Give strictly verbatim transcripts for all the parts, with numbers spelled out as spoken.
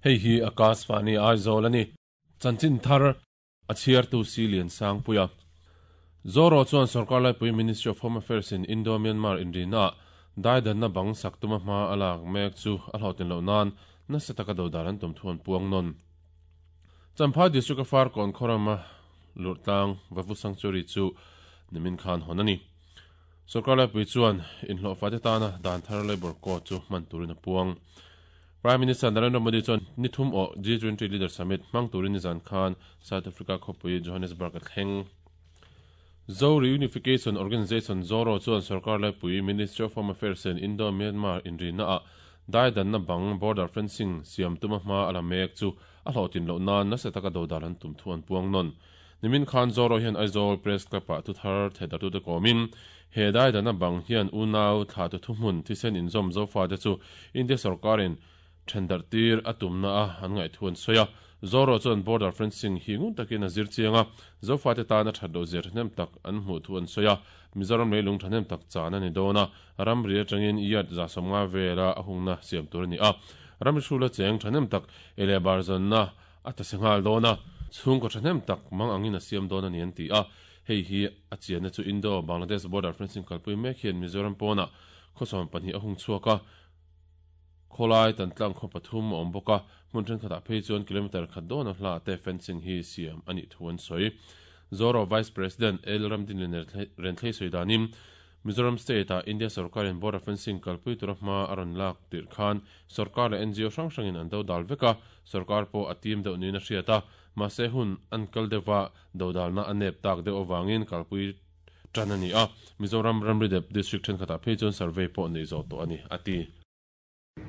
Hei hi Akashvani Aizawl ani. Chanchin thar a chhiartu si lian sang puia. Zoro chuan sarkar laipui Ministry of Home Affairs in Indo-Myanmar inrina daidan na bang sak tuma hma alak mek chu a hlautin lo nan nasa taka dodal an tum thuan puang non. Champhai District of Farkawn khawrama Lurtlang Vavu Sanctuary chu nimin khan honani. Sarkar laipui chuan inhlawh fate tana dan thar labor code chu hman turin a puang. Prime Minister Narendra Modi chuan nithum o G twenty Leader Summit hmang turin nizan khan South Africa khawpui Johannesburg a thleng. Zo Reunification Organization Zoro chuan sarkar laipui Ministry of Home Affairs in Indo-Myanmar inrina a daidan na bang border fencing siam tuma hma ala mek chu a hlawhtin loh nan nasa taka dodal an tum thu an puang non. Nimin khan Zoro hian Aizawl Press Club ah thuthar thedar tu te kawmin he daidan na bang hian unau thla tu thuhmun thisen inzawm zofa te chu India sarkarin thendar tir atum na a an ngai thuan soya. Zoro chuan border fencing hi ngun takin a zir chianga zofa te tana that do zir hnem tak an hmu thuan soya. Mizoram leilung thahnem tak chan ani dona ram ri atangin iat za somnga vela a hungna siam tur ani a ram hrula cheng thahnem tak ele barzan na ata sengal dona chung ko thahnem tak mang angin a siam dona ni an ti a hei hi a chian chu Indo Bangladesh border fencing kalpui mek hian Mizoram pona khosom pahnih a hung chuaka kholai tan tlang kho pathum awm bawka hmun thenkhatah phei chuan kilometer khat dawn a hla te fencing hi siam ani thuan sawi. Zoro Vice President El Ramdin Renthlei sawi danin Mizoram State a India sarkarin border fencing kalpui tura hma a rawn lak tir khan sarkar leh N G O hrang hrangin an dodal vek a sarkar pawh a tim deuh niin a hriat a mahse hun an kal deuha dodalna a nep tak deuh awangin kalpui tan ani a Mizoram Ramri Dep District thenkhatah phei chuan survey pawh nei zawh tawh ani a ti.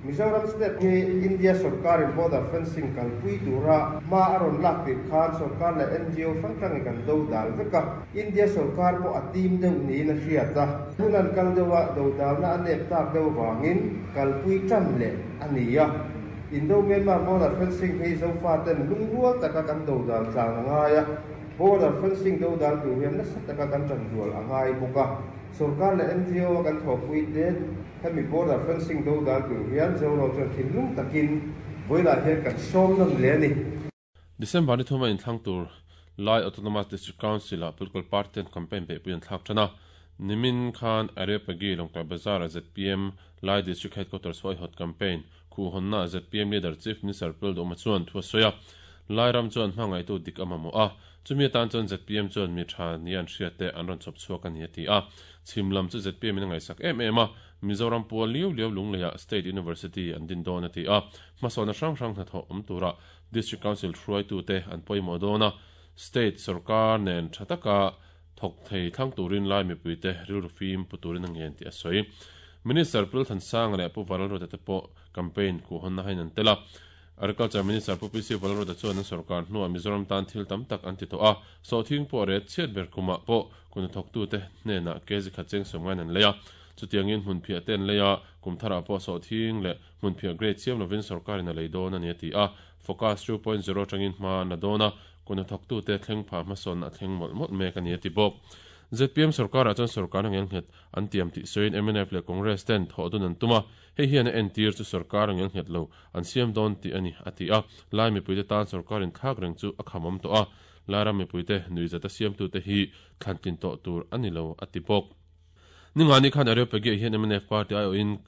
Mizoram State hi India sarkarin border fencing kalpui tura hma a rawn lak tir khan sarkar leh N G O hrang hrangin kan dodal vek a India sarkar pawh a tim deuh niin a hriat a hun an kal deuha dodalna a nep tak deuh awangin kalpui tan leh ani a Indo-Myanmar border fencing hi zofa ten lungrual taka kan dodal tlang a ngai a border fencing dodal tur hian nasa taka kan tan rual a ngai bawk a sarkar leh N G O kan thawhpui te hemi border fencing dodal tur hian Zoro chuan thinlung takin vawilah hian kan sawm nawn le ani. December ni thuma inthlang tur Lai Autonomous District Council a political party ten campaign beihpui an thlak tan a nimin khan Areopagi Lawngtlai Bazar a Z P M Lai District Headquarters huai hot campaign khu honna Z P M leader Chief Minister Pildoma chuan thu a sawi a Lai ram chuan hmangaihtu dik a mamawh a chumi atan chuan Z P M chuan mi tha ni an hriat te an rawn chawp chhuak ani a ti a chhimlam chu Z P M in a ngaihsak em em a Mizoram pual liau liau lungleia State University an din dawn a ti a hmasawna hrang hrang hnathawh awm tura District Council hruaitu te an pawimawh dawn a State sarkar nen tha taka thawk thei thlang turin lai mipui te rilru fim pu turin a ngen ti a sawi. Minister Pulthan Sang leh Pu Valrote te pawh campaign ku hawnna hain an tel a Agriculture Minister Pu P C Valrote chuan an sarkar hnuah Mizoram tan thil tam tak an ti tawh a sawhthing pawh ret chhiat ber kumah pawh kun thawktu te hnenah kg khat cheng sawmngain an lei a chutiangin hmun phiah te an lei a kum tharah pawh sawhthing leh hmun phiah grade siam lovin sarkarin a lei dawn ani a ti a Focus two point zero tangin hma na dawn a kun thawktu te thleng pha hmasawn a thleng mawlh mawlh mek ani a ti bawk. Z P M sarkar ah chuan sarkar a ngel nghet an tiam tih sawiin M N F leh Congress ten thawh dun an tum a hei hian a entir chu sarkar a ngel nghet lo an siam dawn tih ani a ti a lai mipui te tan sarkarin thlak reng chu a khamawm tawh a lai ram mipui te nuizat a siamtu te hi thlantlin tawh tur ani lo a ti bawk. Ningani khan Areopagi hian M N F party ai awin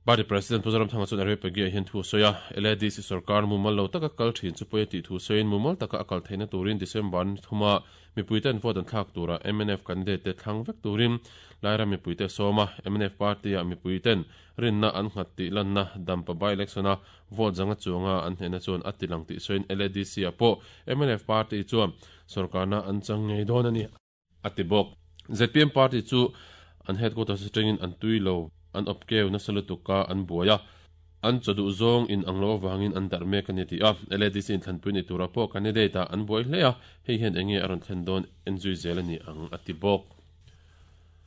Party President Puzaram Thanga chuan Areopagi hian thu sawi a L A D C sarkar mumal lo taka kal thin chu pawia tih thu sawiin mumal taka a kal theihna turin December ni thuma mipui ten vote an thlak tura M N F candidate te thlang vek turin Lairam mipui te sawma M N F party a mipui ten rinna an nghat tih lanna dampa by election a vote zanga chuanga an hnehna chuan a ti lang tih sawiin L A D C a pawh M N F party chuan sarkarna an chang ngei dawn ani a ti bawk. Z P M party chu an headquarters atangin an tui lo an opkeu na salutuka an buaya an chawduh zawng in ang lo awangin an darh mek ani ti a L A D C in thlanpui ni tura pawh candidate a an buai hle a hei hian enge a rawn thlen dawn en zui zel ani ang a ti bawk.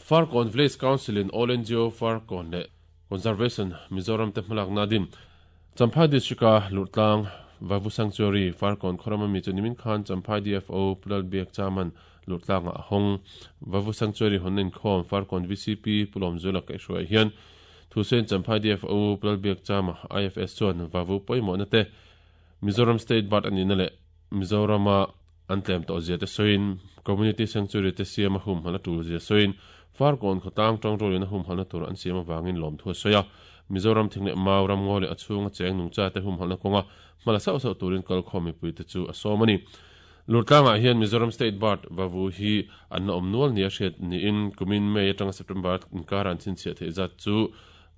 Farkawn Village Council in All N G O Farkawn leh Conservation Mizoram te hmalak na din Champhai District a Lurtlang Vavu Sanctuary Farkawn khawrama mi chu nimin khan Champhai D F O Pulal Biak Chaman Lurtlang a hawng Vavu Sanctuary honin khawm Farkawn V C P Pulawm Zula kaihhruai hian Thusain Champhai D F O Pulal Biak Chama I F S chuan Vavu pawimawhna te Mizoram State Bird ani na le Mizorama an tlem to zia te soin community sanctuary te siama hum hala tul zia soin Farkawn khotang tong rolin hum halna tur an siama wangin lom thu soya Mizoram thingle mauram ngole achunga cheng nungcha te hum halna konga mala sau sau turin kal khomi pui te chu asomani Lurtlanga hian Mizoram State Bird vavu hi an om nual nia hriat ni in kumin May atanga September inkar an chinchhiah theih zat chu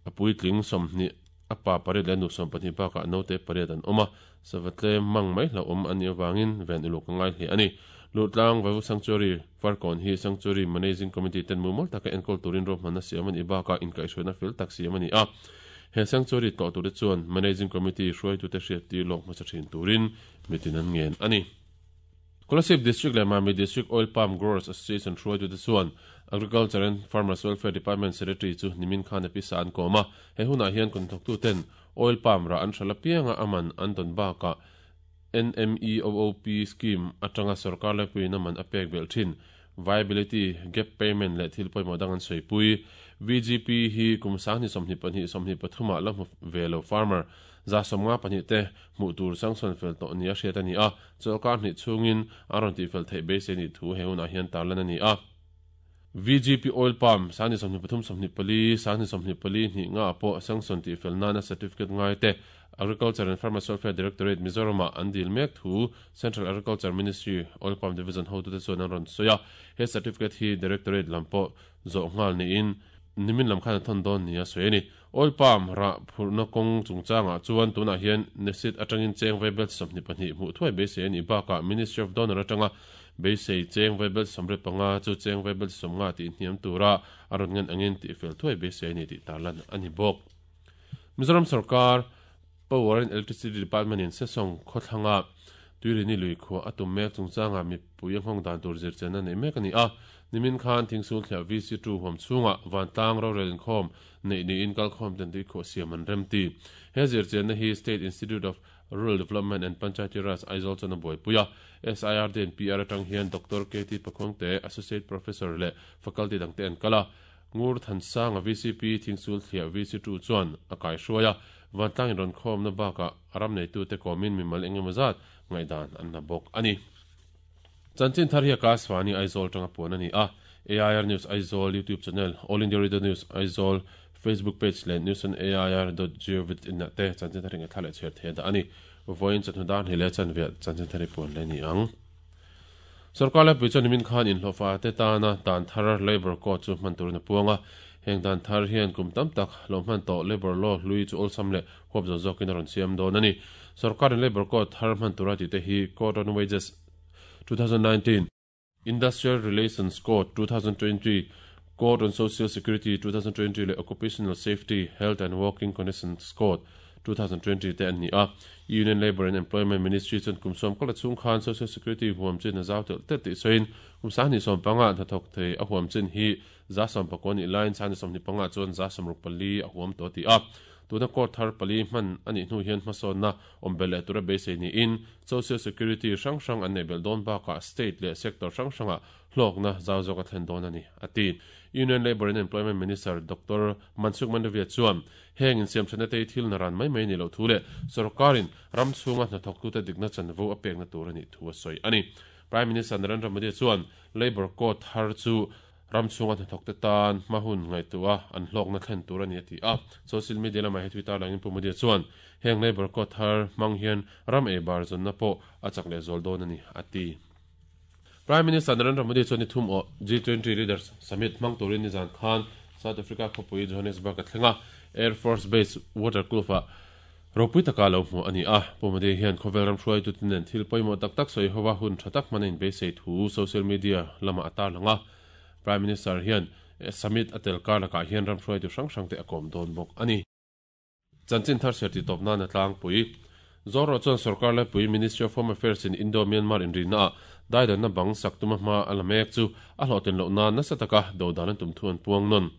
a puitling sawmhni apa pariat leh nu sawm pahnih bakah naute pariat an awm a savatle mang mai hla awm ani awangin ven uluk a ngai hle ani Lurtlang Vavu Sanctuary Farkawn hi Sanctuary Managing Committee ten mumal taka enkawl turin ruahmanna siam ani bakah inkaihhruaina fel tak siam ani a he sanctuary tlawh tur te chuan Managing Committee hruaitute hriat tir lawk hmasa thin turin mitin an ngen ani Kolasib District le Mami District Oil Palm Growers Association hruaitute chuan Agriculture and Farmers Welfare Department Secretary chu nimin khan a pisa an kawm a he hunah hian konthawktu ten oil palm ra an hrala pianga aman an tawn bakah N M E O O P scheme atanga sarkar laipui na man a pek bel thin viability gap payment le thil pawimawh dang an sawi V G P hi kum sang ni sawmhnih pahnih sawmhnih pathuma la hmu velo farmer za sawmnga pahnih te hmuh tur sanction fel tawh ni a hriat ani a chawlkar hnih chungin a rawn tih fel theih beisei ni thu he hunah hian tarlan ani a V G P oil palm sang ni sawmhnih pathum sawmhnih pali sang ni sawmhnih pali hnih nga pawh sanction tih fel nana certificate ngai te Agriculture and Farmers Welfare Directorate Mizorama an dil mek thu Central Agriculture Ministry Oil Palm Division ho tu te chuan an rawn sawi a he certificate hi Directorate lam pawh zawh nghal niin nimin lam khan a thawn dawn ni a sawi ani oil palm ra phurna kawng chungchangah chuan tunah hian nesit atangin cheng vaibel sawmhnih pahnih hmuh thuai beisei ani bakah Ministry of Donor atanga beisei cheng vaibel sawmriat panga chu cheng vaibel sawmnga tih hniam tura a rawn ngan angin tih fel thuai beisei ani tih tarlan ani bawk Mizoram sarkar Power and Electricity Department in Sesong khawthlanga tuirini lui khuwa atum mek chungchanga mi pui a nghawng dan tur zir chen a nei mek ani a nimin khan thingsul thliah V C two huam chunga vantlang rorel inkhawm nei niin kalkhawm ten tui khuah siam an rem ti he zir chen na hi State Institute of Rural Development and Panchayati Raj Aizawl chuan a buaipui a S I R D and P R atang hian Doctor K T Pakhawngte Associate Professor leh Faculty dangte an kal a Ngur Thansang a V C P thingsul thliah V C two chuan a kai hruai a vantlang in rawn khawm na bakah ram neitu te kawmin mimal engemaw zat ngaidan an na bawk ani Chanchin thar hi a Kaswani Aizawl tanga puan ani a A I R News Aizawl YouTube channel All India Radio News Aizawl Facebook page le news on A I R dot gov dot in te chanchin thar ringa thla leh chher the da ani voin chanhu dan hi le chanve chanchin thar hi puan le ni ang Sarkar la pui chuan nimin khan in hlawfa te tana dan thar labor code chu hman turin a puanga heng dan thar hian kum tam tak lo hman tawh labor law hlui chu awlsam leh huap zo zawkin a rawn siam dawn ani sarkar in labor code thar hman tura tih te hi Code on Wages two thousand nineteen Industrial Relations Code two thousand twenty Code on Social Security two thousand twenty le Occupational Safety Health and Working Conditions Code two thousand twenty te an ni a Union Labor and Employment Ministry chuan kum sawm kala chung khan Social Security huam chin a zau tel tet tih sawiin kum sang ni sawm panga hnathawk thei a huam chin hi za sawm pakua ni line sang ni sawmhnih panga chuan za sawmruk pali a huam tawh ti a tuna court thar pali hman ani hnu hian hmasawnna awm bel leh tura beisei niin Social Security hrang hrang an nei bel dawn bakah state leh sector hrang hranga hlawkna zau zawk a thlen dawn ani ati Union Labor and Employment Minister Doctor Mansukh Mandaviya chuan heng in siam thana te thil na ran mai mai ni lo thu le sarkarin ram chunga hnathawk tu te dikna chanvo a pekna tur ani thu a sawi ani Prime Minister Narendra Modi chuan Labor Code thar chu ram chunga hnathawk te tan hmahun ngai tua an hlawkna thlen tur ani ati a social media lama he Twitter langin pu Modi chuan heng Labor Code thar hmang hian ram e bar zonna pawh a chak leh zawl dawn ani ati Prime Minister Narendra Modi chuan ni thum aw G twenty Leaders Summit hmang turin ni zan khan South Africa khawpui Johannesburg a thlenga Air Force Base Waterkloof a ropui taka lo hmu ani a pu Modi hian khawvel ram hruai tu tinen thil pawimawh tak tak sawi howa hun tha tak hmanin beisei thu social media lama a tar langa Prime Minister hian summit atel kar lakah hian ram hruai tu hrang hrang te a kawm dawn bawk ani Chanchin thar ser ti tawp nan a tlangpui Zoro chuan sarkar laipui Ministry of Home Affairs in Indo-Myanmar inrina a daidan na bang sak tuma hma a la mek chu a hlawhten loh nan nasa taka do dan an tum thu an puang nawn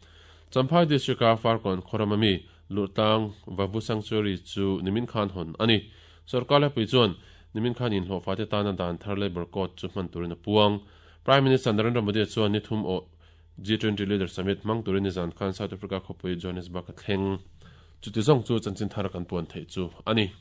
Champhai District a Farkawn Khoramami Lurtlang Vavu Sanctuary chu nimin khan hawn ani sarkar laipui chuan nimin khan in hlawhfa te tana dan thar labor code chu hman turin a puang Prime Minister Narendra Modi chuan ni thum aw G twenty Leader Summit hmang turin ni zan khan South Africa khawpui Johannesburg a thleng chu ti zawng chu chanchin thar kan puan theih chu ani.